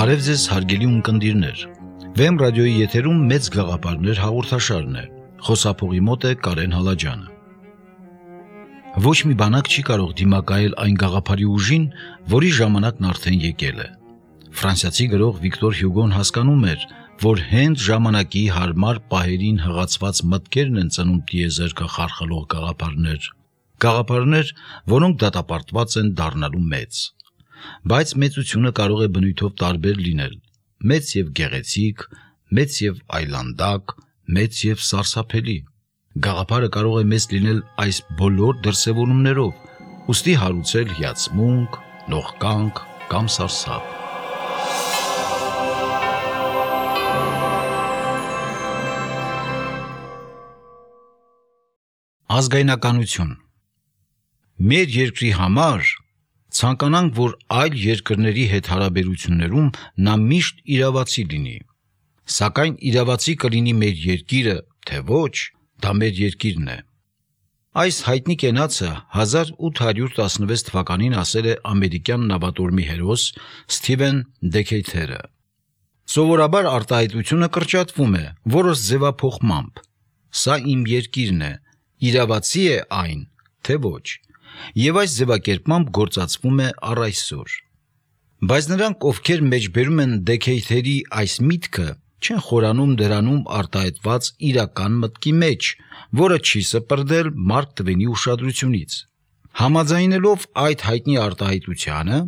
Բարև ձեզ հարգելի ունկնդիրներ, Վեմ ռադիոյի եթերում մեծ գաղափարներ հաղորդաշարն է, խոսափողի մոտ է Կարեն Հալաջյանը։ Ոչ մի բանակ չի կարող դիմակայել այն գաղափարի ուժին, որի ժամանակն արդեն եկել է։ Ֆրանսիացի գրող Վիկտոր Հյուգոն հասկանում էր, որ հենց ժամանակի հարմար պահերին հղացված մտքերն են ծնում տիեզերքը խարխլող գաղափարներ, որոնք դատապարտված են դառնալու մեծ։ Բայց մեծությունը կարող է բնույթով տարբեր լինել, մեծ եւ գեղեցիկ, մեծ եւ այլանդակ, մեծ եւ սարսափելի։ Գաղափարը կարող է մեծ լինել այս բոլոր դրսևորումներով, ուստի հարուցել հիացմունք, նողկանք կամ սարսափ։ Ազգայնականություն։ Մեր երկրի համար ցանկանանք, որ այլ երկրների հետ հարաբերություններում նա միշտ իրավացի լինի, սակայն իրավացի կլինի մեր երկիրը, թե ոչ, դա մեր երկիրն է։ Այս հայտնի կենացը 1816 թվականին ասել է ամերիկյան նավատորմի հերոս Սթիվեն Դեքեյթերը։ Սովորաբար արտահայտությունը կրճատվում է որոշ ձևափոխմամբ։ Սա իմ երկիրն է, իրավացի է այն, թե ոչ։ Եվ այս ձևակերպմամբ գործածվում է առ այսօր։ Բայց նրանք, ովքեր մեջբերում են Դեքեյթերի այս միտքը, չեն խորանում դրանում արտահայտված իրական մտքի մեջ, որը չի սպրդել Մարկ Տվենի ուշադրությունից։ Համաձայնելով այդ հայտնի արտահայտությանը,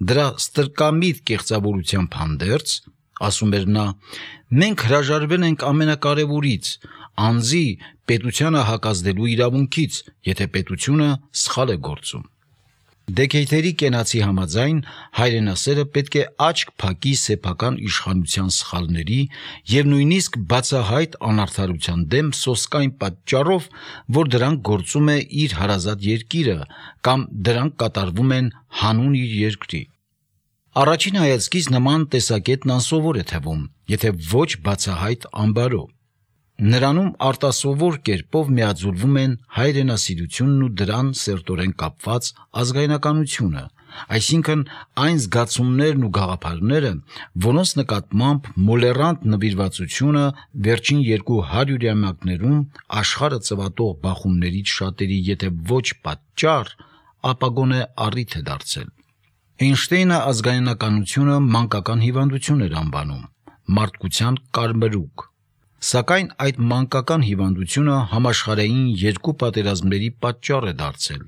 դրա ստրկամիտ կեղծավորությամբ հանդերձ, ասում էր նա, մենք հրաժարվել ենք ամենակարևորից, անձի պետությանը հակազդելու իրավունքից, եթե պետությունը սխալ է գործում։ Դեքեյթերի կենացի համաձայն հայրենասերը պետք է աչք փակի սեփական իշխանության սխալների եւ նույնիսկ բացահայտ անարդարության դեմ սոսկայն պատճառով, որ դրանք գործում է իր հարազատ երկիրը կամ դրանք կատարվում են հանուն իր երկրի։ Առաջին հայացքից նման տեսակետն անսովոր է թվում, եթե ոչ բացահայտ ամբարո։ Նրանում արտասովոր կերպով միաձուլվում են հայրենասիրությունն ու դրան սերտորեն կապված ազգայնականությունը, այսինքն այն զգացումներն ու գաղափարները, որոնց նկատմամբ մոլեռանդ նվիրվածությունը վերջին 200-ամյակներում աշխարհը ծվատող բախումներից շատերի եթե ոչ պատճառ, ապա գոնե առիթ է դարձել։ Էյնշտեյնը ազգայնականությունը մանկական հիվանդություն էր անվանում, մարդկության կարմրուկ։ Սակայն այդ մանկական հիվանդությունը համաշխարհային երկու պատերազմների պատճառ է դարձել,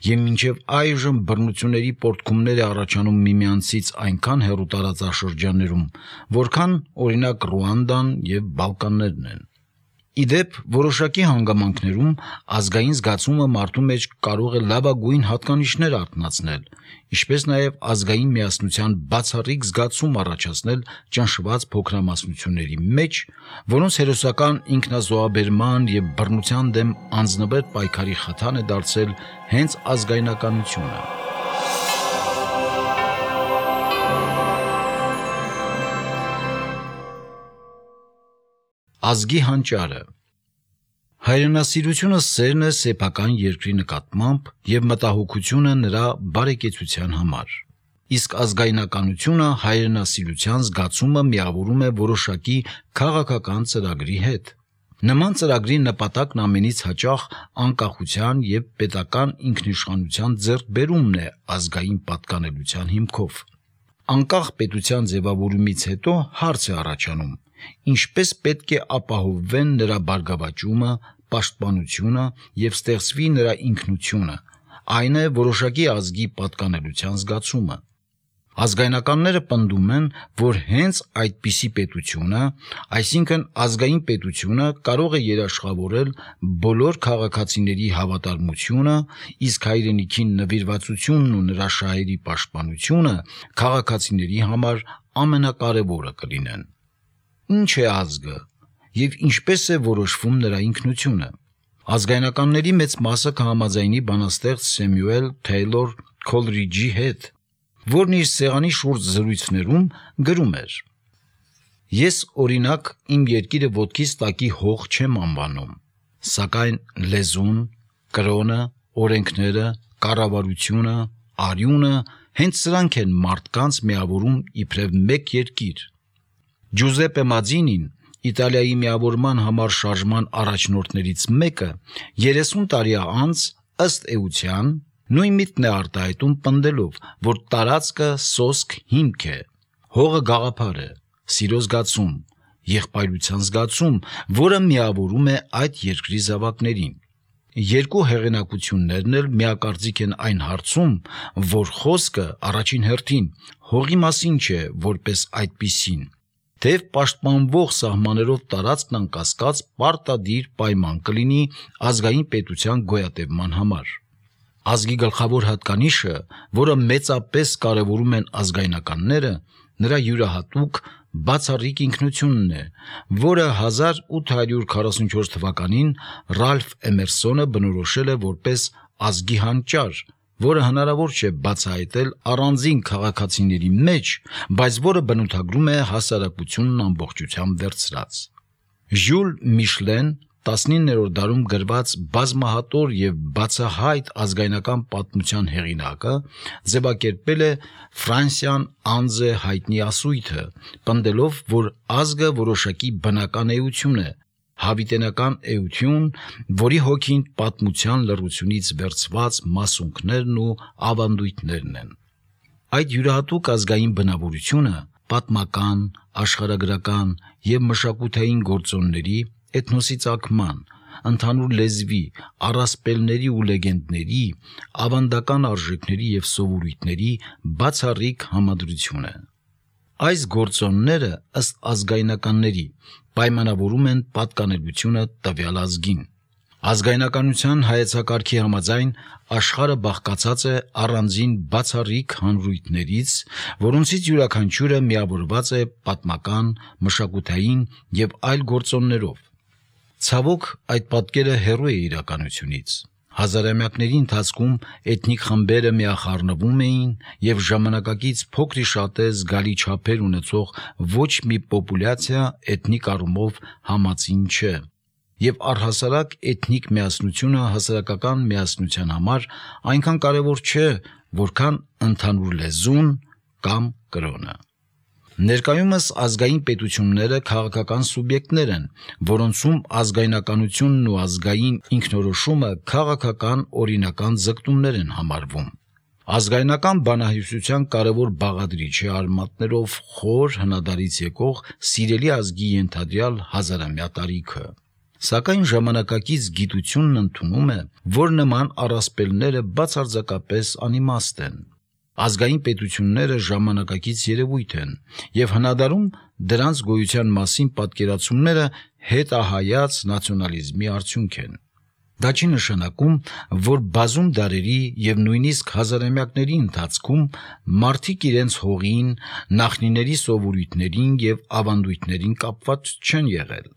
եւ մինչև այժմ բռնությունների պոռթկումներ է առաջանում միմյանցից այնքան հեռու տարածաշրջաններում, որքան օրինակ Ռուանդան եւ Բալկաններն են։ Իդեպ, որոշակի հանգամանքներում ազգային զգացումը մարդու մեջ կարող է լավագույն հատկանիշներ արթնացնել, ինչպես նաև ազգային միասնության բացառիկ զգացում առաջացնել ճնշված փոքրամասնությունների մեջ, որոնց հերոսական ինքնազոհաբերման եւ բռնության դեմ անձնվեր պայքարի խթան է դարձել հենց ազգայնականությունը։ Ազգի հանճարը։ Հայրենասիրությունը սերն է սեփական երկրի նկատմամբ եւ մտահոգությունը նրա բարեկեցության համար։ Իսկ ազգայնականությունը հայրենասիրության զգացումը միավորում է որոշակի քաղաքական ծրագրի հետ։ Նման ծրագրի նպատակն ամենից հաճախ անկախության եւ պետական ինքնիշխանության ձեռքբերումն է ազգային պատկանելության հիմքով։ Անկախ պետության ձևավորումից հետո հարց է առաջանում. ինչպես պետք է ապահովվեն նրա բարգավաճումը, պաշտպանությունը եւ ստեղծվի նրա ինքնությունը, այն է որոշակի ազգի պատկանելության զգացումը։ Ազգայնականները պնդում են, որ հենց այդպիսի պետությունը, այսինքն ազգային պետությունը, կարող է երաշխավորել բոլոր քաղաքացիների հավատարմությունը, իսկ հայրենիքին նվիրվածությունն ու նրա շահերի պաշտպանությունը քաղաքացիների համար ամենակարևորը կլինեն։ Ինչ է ազգը եւ ինչպես է որոշվում նրա ինքնությունը։ Ազգայնականների մեծ մասը կհամաձայնի բանաստեղծ Սեմյուել Թեյլոր Քոլրիջի հետ, որն իր սեղանի շուրջ զրույցներում գրում էր. Ես օրինակ իմ երկիրը ոտքից տակի հող չեմ անվանում, սակայն լեզուն, կրոնը, օրենքները, կառավարությունը, արյունը Հենց սրանք են մարդկանց միավորում իբրև մեկ երկիր։ Ջուզեպպե Մաձինին, Իտալիայի միավորման համար շարժման առաջնորդներից մեկը, 30 տարի անց ըստ էության նույն միտքն է արտահայտում պնդելով, որ տարածքը սոսկ հիմք է, հողը գաղափար է, սիրո զգացում, եղբայրության զգացում, որը միավորում է այդ երկրի զավակներին։ Երկու հեղինակություններն էլ միակարծիք են այն հարցում, որ խոսքը առաջին հերթին հողի մասին չէ որպես այդպիսին, թեև պաշտպանվող սահմաններով տարածքն անկասկած պարտադիր պայման կլինի ազգային պետության գոյատևման համար։ Ազգի գլխավոր հատկանիշը, որը մեծապես կարևորում են ազգայնականները, նրա յուրահատուկ բացառիկ ինքնությունն է, որը 1844 թվականին Ռալֆ Էմերսոնը բնորոշել է որպես ազգի հանճար, որը հնարավոր չէ բացահայտել առանձին քաղաքացիների մեջ, բայց որը բնութագրում է հասարակությունն ամբողջությամբ վերցրած։ Ժյուլ Միշլեն 19-րդ դարում գրված բազմահատոր և բացահայտ ազգայնական պատմության հեղինակը ձևակերպել է Ֆրանսիան անձ է հայտնի ասույթը, պնդելով, որ ազգը որոշակի բնական էություն է, հավիտենական էություն, որի հոգին պատմության լռությունից վերցված մասունքներն ու ավանդույթներն են։ Այդ յուրահատուկ ազգային բնավորությունը պատմական, աշխարհագրական և մշակութային գործոնների, էթնոսի ծագման, ընդհանուր լեզվի, առասպելների ու լեգենդների, ավանդական արժեքների և սովորույթների բացառիկ համադրություն է։ Այս գործոնները ըստ ազգայնականների պայմանավորում են պատկանելությունը տվյալ ազգին։ Ազգայնականության հայեցակարգի համաձայն աշխարհը բաղկացած է առանձին բացառիկ հանրույթներից, որոնցից յուրաքանչյուրը միավորված է պատմական, մշակութային և այլ գործոններով։ Ցավոք, այդ պատկերը հեռու է իրականությունից։ Հազարամյակների ընթացքում էթնիկ խմբերը միախառնվում էին և ժամանակակից փոքրիշատե զգալի չափեր ունեցող ոչ մի պոպուլյացիա էթնիկ առումով համածին չէ, և առհասարակ էթնիկ միասնությունը հասարակական միասնության համար այնքան կարևոր չէ, որքան ընդհանուր լեզուն կամ կրոնը։ Ներկայումս ազգային պետությունները քաղաքական սուբյեկտներ են, որոնցում ազգայնականությունն ու ազգային ինքնորոշումը քաղաքական օրինական ձգտումներ են համարվում։ Ազգայնական բանահյուսության կարևոր բաղադրիչ է արմատներով խոր հնադարից եկող սիրելի ազգի ենթադրյալ հազարամյա տարիքը։ Սակայն ժամանակակից գիտությունն ընդունում է, որ նման առասպելները բացարձակապես անիմաստ են։ Ազգային պետությունները ժամանակակից երևույթ են, և հնադարում դրանց գոյության մասին պատկերացումները հետահայաց նացիոնալիզմի արդյունք են։ Դա չի նշանակում, որ բազում դարերի և նույնիսկ հազարամյակների ընթացքում մարդիկ իրենց հողին, նախնիների սովորույթներին և ավանդույթներին կապված չեն եղել։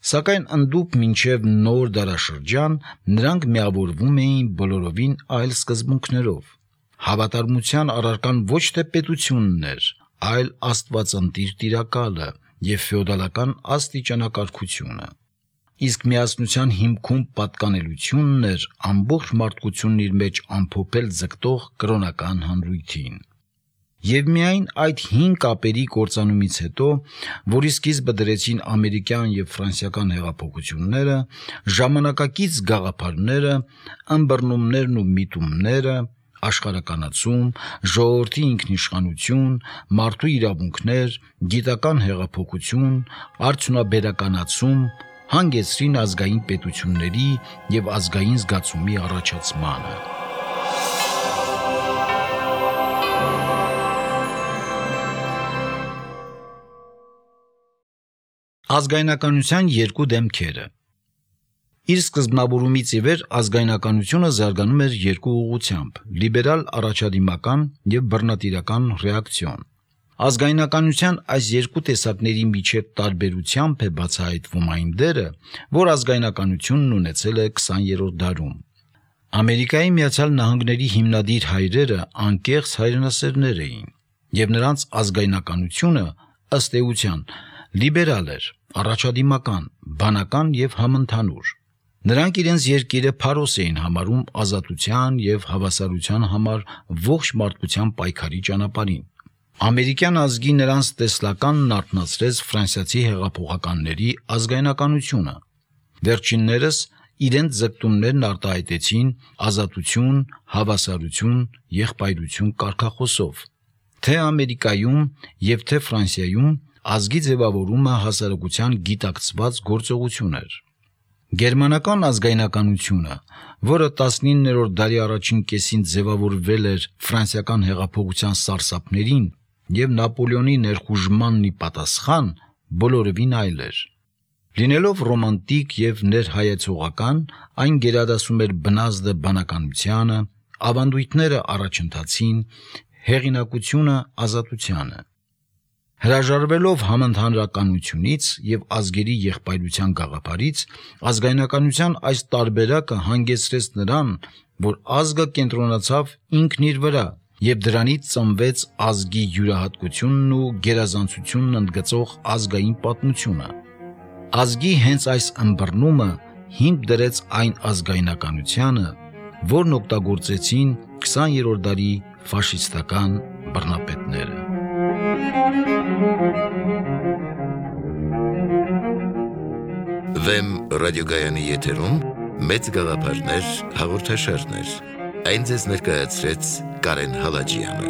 Սակայն ընդդուք մինչև նոր դարաշրջան նրանք միավորվում էին բոլորովին այլ սկզբունքներով։ Հավատարմության առարկան ոչ թե պետությունն էր, այլ աստվածընտիր տիրակալը և ֆեոդալական աստիճանակարգությունը։ Իսկ միասնության հիմքում պատկանելությունն էր ամբողջ մարդկությունն իր մեջ ամփոփել ձգտող կրոնական հանրույթին։ Եվ միայն այդ հին կապերի կործանումից հետո, որի սկիզբը դրեցին ամերիկյան և ֆրանսիական հեղափոխությունները, ժամանակակից գաղափարները, ըմբռնումներն ու միտումները, աշխարհականացում, ժողովրդի ինքնիշխանություն, մարդու իրավունքներ, գիտական հեղափոխություն, արդյունաբերականացում հանգեցրին ազգային պետությունների և ազգային զգացումի առաջացմանը։ Ազգայնականության երկու դեմքերը։ Իր սկզբնավորումից ի վեր ազգայնականությունը զարգանում էր երկու ուղղությամբ՝ լիբերալ առաջադիմական և բռնատիրական ռեակցիոն։ Ազգայնականության այս երկու տեսակների միջև տարբերությամբ է բացահայտվում այն դերը, որ ազգայնականությունն ունեցել է 20-րդ դարում։ Ամերիկայի Միացյալ Նահանգների հիմնադիր հայրերը անկեղծ հայրենասերներ էին, և նրանց ազգայնականությունը ըստ էության լիբերալ էր, առաջադիմական, բանական և համընդհանուր։ Նրանք իրենց երկիրը փարոս էին համարում ազատության եւ հավասարության համար ողջ մարդկության պայքարի ճանապարհին։ Ամերիկյան ազգի նրանց տեսլականն արթնացրեց ֆրանսիացի հեղափոխականների ազգայնականությունը։ Վերջիններս իրենց ձգտումներն արտահայտեցին ազատություն, հավասարություն, եղբայրություն կարգախոսով։ Թե Ամերիկայում եւ թե Ֆրանսիայում ազգի ձևավորումը հասարակության գիտակցված գործողություն էր։ Գերմանական ազգայնականությունը, որը 19-րդ դարի առաջին կեսին ձևավորվել էր ֆրանսիական հեղափոխության սարսափներին եւ Նապոլեոնի ներխուժմանն ի պատասխան, բոլորովին այլ էր։ Լինելով ռոմանտիկ եւ ներհայեցողական, այն գերադասում էր բնազդը բանականությանը, ավանդույթները առաջընթացին, հեղինակությունը ազատությանը։ Հրաժարվելով համընդհանրականությունից եւ ազգերի եղբայրության գաղափարից, ազգայնականության այս տարբերակը հանգեցրեց նրան, որ ազգը կենտրոնացավ ինքն իր վրա եւ դրանից ծնվեց ազգի յուրահատկությունն ու գերազանցությունն ընդգծող ազգային պատմությունը։ Ազգի հենց այս ըմբռնումը հիմք դրեց այն ազգայնականությանը, որն օգտագործեցին 20-րդ դարի ֆաշիստական բռնապետները։ Վեմ ռադիոգայանի եթերում մեծ գաղափարներ հաղորդաշարներ։ Այն ձեզ ներկայացրեց Կարեն Հալաջյանը։